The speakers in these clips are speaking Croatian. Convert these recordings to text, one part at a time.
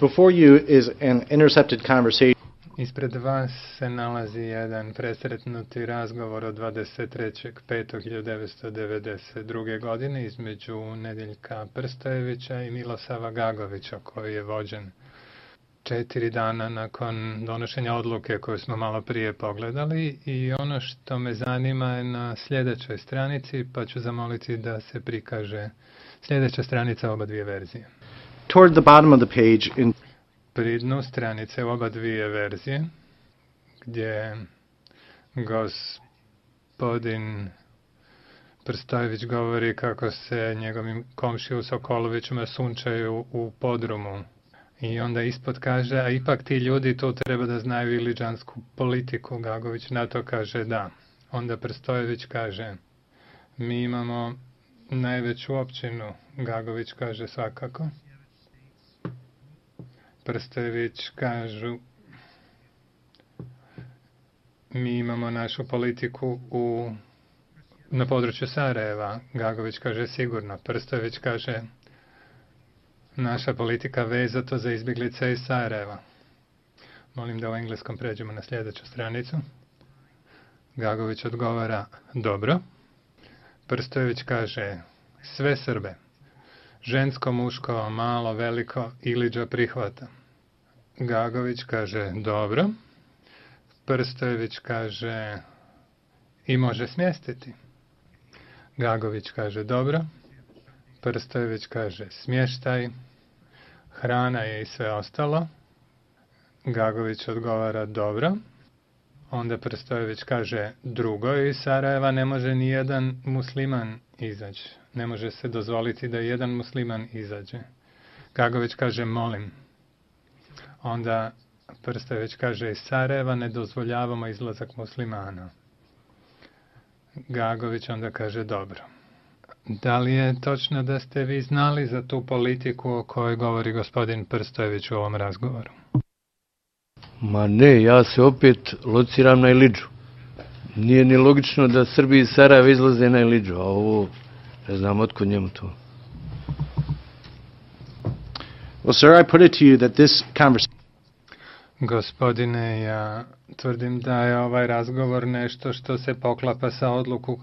Before you is an intercepted conversation. Ispred vas se nalazi jedan presretnuti razgovor od 23.5.1992. godine između Nedeljka Prstojevića i Milosava Gagovića, koji je vođen 4 dana nakon donošenja odluke koju smo malo prije pogledali, i ono što me zanima je na sljedećoj stranici, pa ću zamoliti da se prikaže sljedeća stranica oba dvije verzije. Toward the bottom of the page in Pri dnu stranice oba dvije verzije, gdje gospodin Prstojević govori kako se njegovim komšiju Sokolovićima sunčaju u podrumu. I onda ispod kaže, a ipak ti ljudi tu treba da znaju iliđansku politiku. Gagović na to kaže da. Onda Prstojević kaže, mi imamo najveću općinu. Gagović kaže svakako. Prstojević kažu, mi imamo našu politiku na području Sarajeva. Gagović kaže sigurno. Prstojević kaže, naša politika vezato za izbjeglice iz Sarajeva. Molim da u engleskom pređemo na sljedeću stranicu. Gagović odgovara, dobro. Prstojević kaže, sve Srbe. Žensko, muško, malo, veliko, Iliđa prihvata. Gagović kaže, dobro. Prstojević kaže, i može smjestiti. Gagović kaže, dobro. Prstojević kaže, smještaj, hrana je i sve ostalo. Gagović odgovara, dobro. Onda Prstojević kaže, drugo, iz Sarajeva ne može ni jedan musliman izaći. Ne može se dozvoliti da jedan musliman izađe. Gagović kaže, molim. Onda Prstojević kaže, iz Sarajeva ne dozvoljavamo izlazak muslimana. Gagović onda kaže, dobro. Da li je točno da ste vi znali za tu politiku o kojoj govori gospodin Prstojević u ovom razgovoru? Ma ne, ja se opet lociram na Iliđu. Nije ni logično da Srbi iz Sarajeva izlaze na Iliđu, a ovo ne znam otkud njemu to. Well, sir, I put it to you that this conversation. Gospodine, ja tvrdim da je ovaj razgovor nešto što se poklapa sa odluku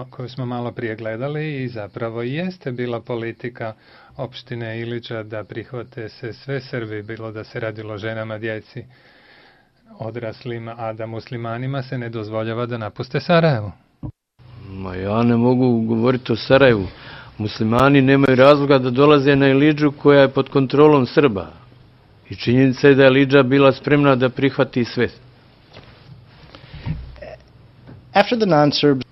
koju smo malo prije gledali i zapravo jeste bila politika opštine Iliđa da prihvate se sve Srbi, bilo da se radilo o ženama, djeci, odraslima, a da muslimanima se ne dozvoljava da napuste Sarajevo. Ma ja ne mogu govoriti o Sarajevu. Muslimani nemaju razloga da dolaze na Iliđu koja je pod kontrolom Srba. I činjenica je da je Iliđa bila spremna da prihvati sve. After the non-Serbs,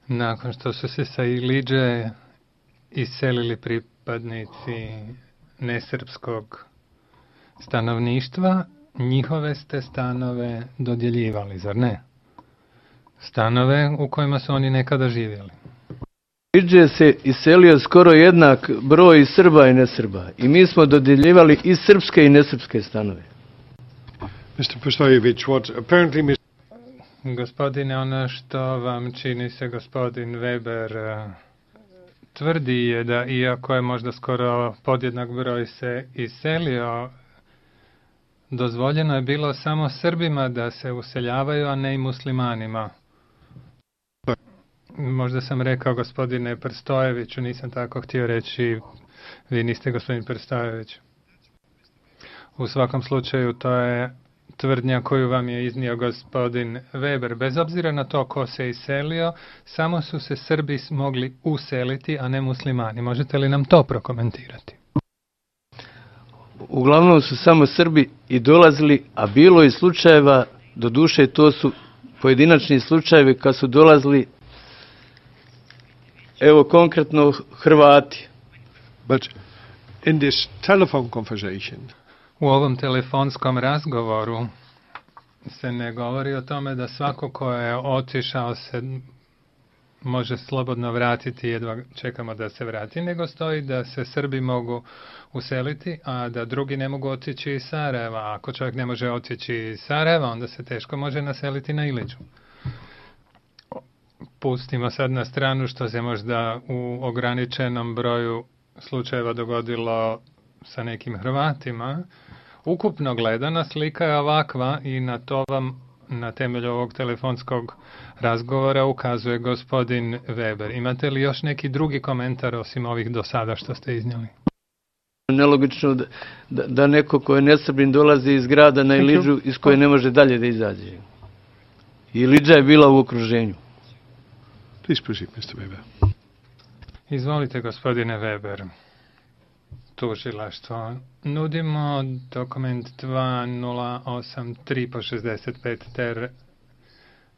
nakon što su se sa Iliđe iselili pripadnici nesrpskog stanovništva, njihove ste stanove dodjeljivali, zar ne? Stanove u kojima su oni nekada živjeli. Iliđe se iselio skoro jednak broj Srba i nesrba. I mi smo dodjeljivali i srpske i nesrpske stanove. Mr. Prstojević, what apparently Gospodine, ono što vam čini se gospodin Weber tvrdi je da iako je možda skoro podjednak broj se iselio, dozvoljeno je bilo samo Srbima da se useljavaju, a ne i muslimanima. Možda sam rekao gospodine Prstojeviću, nisam tako htio reći, vi niste gospodin Prstojević. U svakom slučaju to je tvrdnja koju vam je iznio gospodin Weber. Bez obzira na to ko se iselio, samo su se Srbi mogli useliti, a ne muslimani. Možete li nam to prokomentirati? Uglavnom su samo Srbi i dolazili, a bilo je slučajeva, doduše to su pojedinačni slučajevi kad su dolazili, evo konkretno Hrvati. But in this telephone conversation, u ovom telefonskom razgovoru se ne govori o tome da svako ko je otišao se može slobodno vratiti, jedva čekamo da se vrati, nego stoji da se Srbi mogu useliti, a da drugi ne mogu otići iz Sarajeva. Ako čovjek ne može otići iz Sarajeva, onda se teško može naseliti na Iliđu. Pustimo sad na stranu što se možda u ograničenom broju slučajeva dogodilo sa nekim Hrvatima, ukupno gledana slika je ovakva i na to vam na temelju ovog telefonskog razgovora ukazuje gospodin Weber. Imate li još neki drugi komentar osim ovih do sada što ste iznijeli? Nelogično da neko ko je nesrbin dolazi iz grada na Ilidžu iz koje ne može dalje da izađe. Ilidža je bila u okruženju. Please proceed, Mr. Weber. Izvolite, gospodine Weber. Tužilaštvo. Nudimo dokument 2083 po 65 ter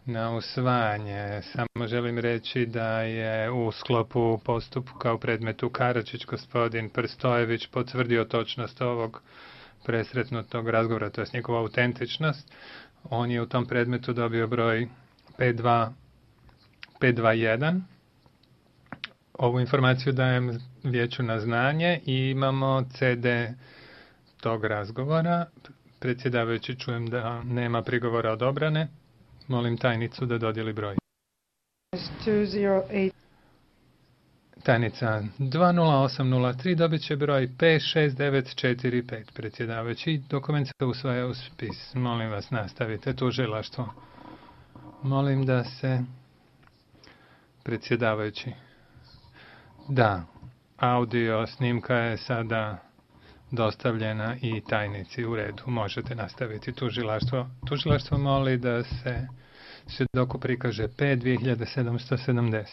na usvajanje. Samo želim reći da je u sklopu postupka u predmetu Karačić gospodin Prstojević potvrdio točnost ovog presretnutog razgovora, to je njegova autentičnost. On je u tom predmetu dobio broj 521. Ovu informaciju dajem vijeću na znanje i imamo CD tog razgovora. Predsjedavajući, čujem da nema prigovora od obrane. Molim tajnicu da dodijeli broj. 208. Tajnica 20803 dobit će broj 56945. Predsjedavajući, dokument se usvaja u spis. Molim vas, nastavite. Tužilaštvo. Molim da se... Predsjedavajući. Da, audio snimka je sada dostavljena i tajnici. U redu, možete nastaviti. Tužilaštvo moli da se svjedoku prikaže P2770.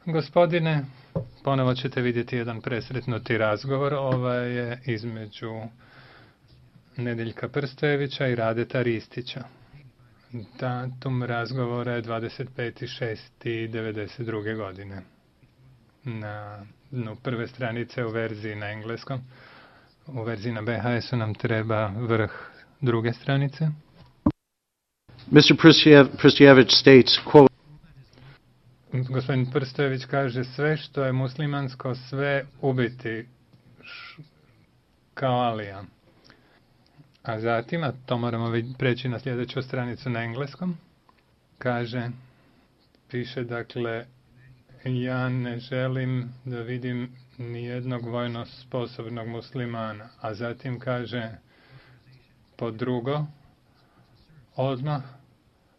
Gospodine, ponovo ćete vidjeti jedan presretnuti razgovor. Ovaj je između Nedeljka Prstojevića i Radeta Ristića. Datum razgovora je 25.6.92. godine. Na dnu prve stranice u verziji na engleskom. U verziji na BHS-u nam treba vrh druge stranice. Mr. Prstojević states, quote, Gospodin Prstojević kaže sve što je muslimansko, sve ubiti kao Alija. A zatim, a to moramo preći na sljedeću stranicu na engleskom, kaže, piše dakle, ja ne želim da vidim nijednog vojno sposobnog muslimana. A zatim kaže, pod drugo, odmah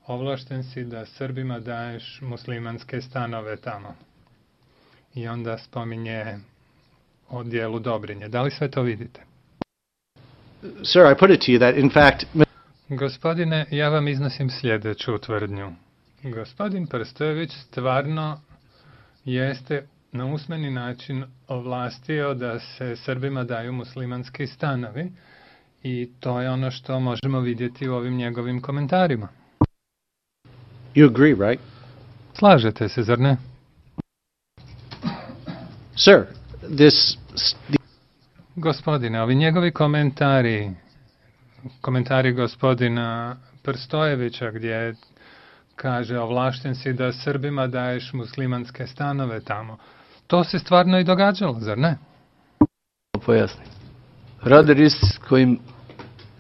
ovlašten si da Srbima daješ muslimanske stanove tamo. I onda spominje o dijelu Dobrinje. Da li sve to vidite? sir, I put it to you that, in fact, Gospodine, ja vam iznosim sljedeću tvrdnju. Gospodin Prstojević stvarno jeste na usmeni način ovlastio da se Srbima daju muslimanski stanovi i to je ono što možemo vidjeti u ovim njegovim komentarima. you agree, right? Slažete se, zar ne? Sir, Gospodine, ovi njegovi komentari gospodina Prstojevića gdje kaže ovlašten si da Srbima daješ muslimanske stanove tamo. To se stvarno i događalo, zar ne? Pojasni. Rade Ristić kojim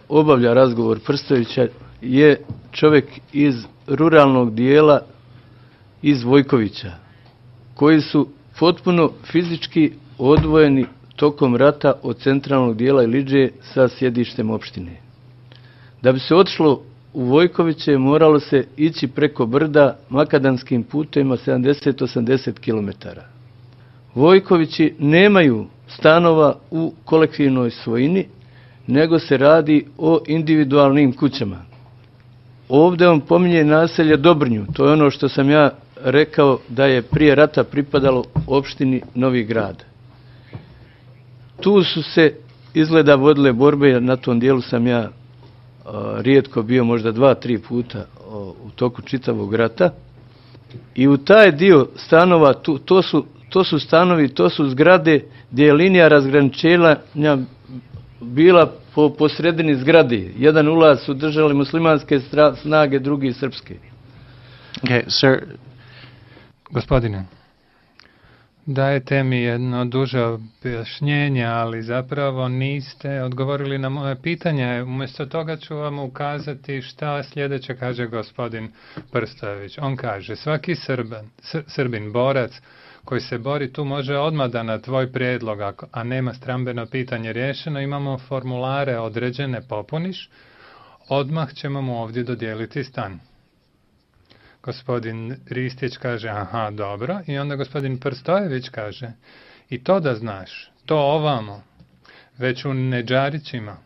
obavlja razgovor Prstojevića je čovjek iz ruralnog dijela iz Vojkovića, koji su potpuno fizički odvojeni tokom rata od centralnog dijela Ilidže sa sjedištem opštine. Da bi se otišlo u Vojkoviće moralo se ići preko brda makadanskim putevima 70-80 km. Vojkovići nemaju stanova u kolektivnoj svojini, nego se radi o individualnim kućama. Ovdje on pominje naselje Dobrnju, to je ono što sam ja rekao da je prije rata pripadalo opštini Novi Grad. Tu su se izgleda vodile borbe, na tom dijelu sam ja rijetko bio, možda 2-3 puta u toku čitavog rata. I u taj dio stanova, to su stanovi, to su zgrade gdje je linija razgraničenja bila po sredini zgrade. Jedan ulaz su držali muslimanske snage, drugi srpske. okay, sir, Gospodine, dajete mi jedno duže objašnjenje, ali zapravo niste odgovorili na moje pitanje. Umjesto toga ću vam ukazati šta sljedeće kaže gospodin Prstojević. On kaže, svaki Srbin, borac koji se bori, tu može odmah da na tvoj prijedlog, a nema strambeno pitanje riješeno, imamo formulare određene, popuniš, odmah ćemo mu ovdje dodijeliti stan. Gospodin Ristić kaže, aha, dobro, i onda gospodin Prstojević kaže, i to da znaš, to ovamo, već u Neđarićima,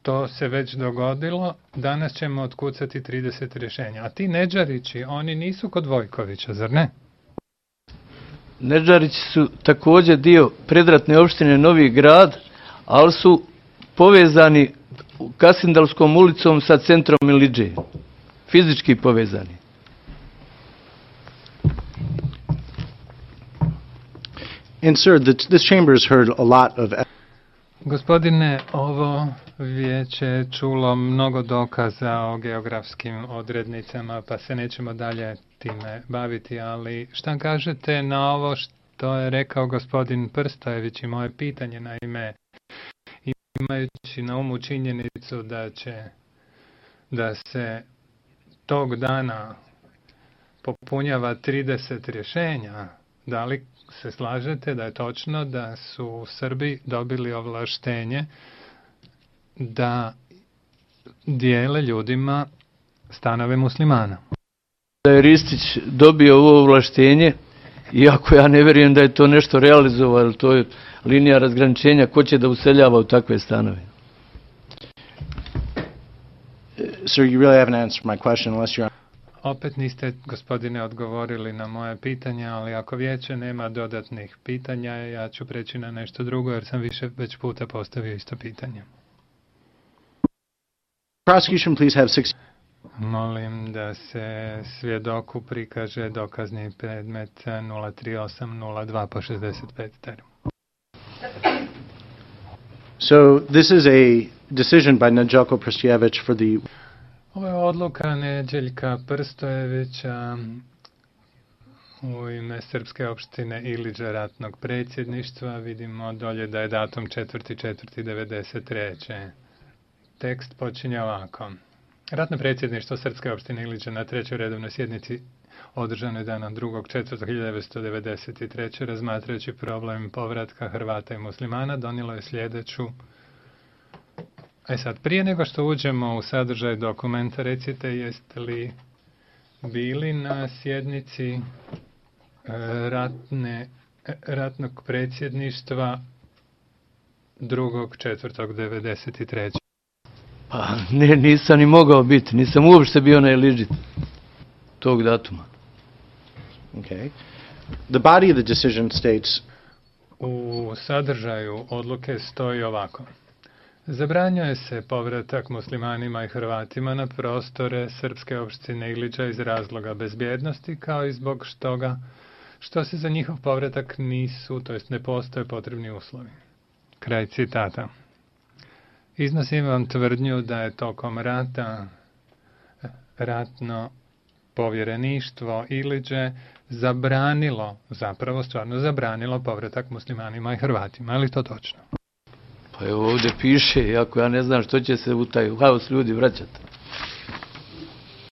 to se već dogodilo, danas ćemo otkucati 30 rješenja. A ti Neđarići, oni nisu kod Vojkovića, zar ne? Neđarići su također dio predratne opštine Novi Grad, ali su povezani Kasindalskom ulicom sa centrom Iliđe. Fizički povezani. And sir, this chamber has heard a lot of... Gospodine, ovo vijeće je čulo mnogo dokaza o geografskim odrednicama, pa se nećemo dalje time baviti, ali šta kažete na ovo što je rekao gospodin Prstojević i moje pitanje, naime, imajući na umu činjenicu da se tog dana popunjava 30 rješenja, da li se slažete da je točno da su Srbi dobili ovlaštenje da dijele ljudima stanove muslimana? Da je Ristić dobio ovo ovlaštenje, iako ja ne vjerujem da je to nešto realizovalo, to je linija razgraničenja, ko će da useljava u takve stanove. Sir, you really haven't answered my question unless you're... Opet niste, gospodine, odgovorili na moje pitanja, ali ako vijeće nema dodatnih pitanja, ja ću preći na nešto drugo, jer sam već puta postavio isto pitanje. Prosecution, please have 6... Molim da se svjedoku prikaže dokazni predmet 03802 po 65 teru. So this is a decision by Neđelko Prstojević for the... Ovo je odluka Neđeljka Prstojevića u ime Srpske opštine Iliđa ratnog predsjedništva. Vidimo dolje da je datum 4.4.93. Tekst počinje ovako. Ratno predsjedništvo Srpske opštine Iliđa na 3. redovnoj sjednici održanoj dana 2.4.1993. razmatrajući problem povratka Hrvata i muslimana donijelo je sljedeću. Sad, prije nego što uđemo u sadržaj dokumenta, recite jeste li bili na sjednici ratnog predsjedništva 2.4.1993. Pa ne, nisam ni mogao biti, nisam uopšte bio na Iliđi tog datuma. Okay. The body of the decision states... U sadržaju odluke stoji ovako. Zabranjuje se povratak muslimanima i Hrvatima na prostore Srpske opštine Iliđa iz razloga bezbjednosti, kao i zbog toga što se za njihov povratak nisu, to jest ne postoje potrebni uslovi. Kraj citata. Iznosim vam tvrdnju da je tokom rata ratno povjereništvo Iliđe stvarno zabranilo povratak muslimanima i Hrvatima. Je li to točno? Pa evo ovdje piše, iako ja ne znam što će se u taj haos ljudi vraćati.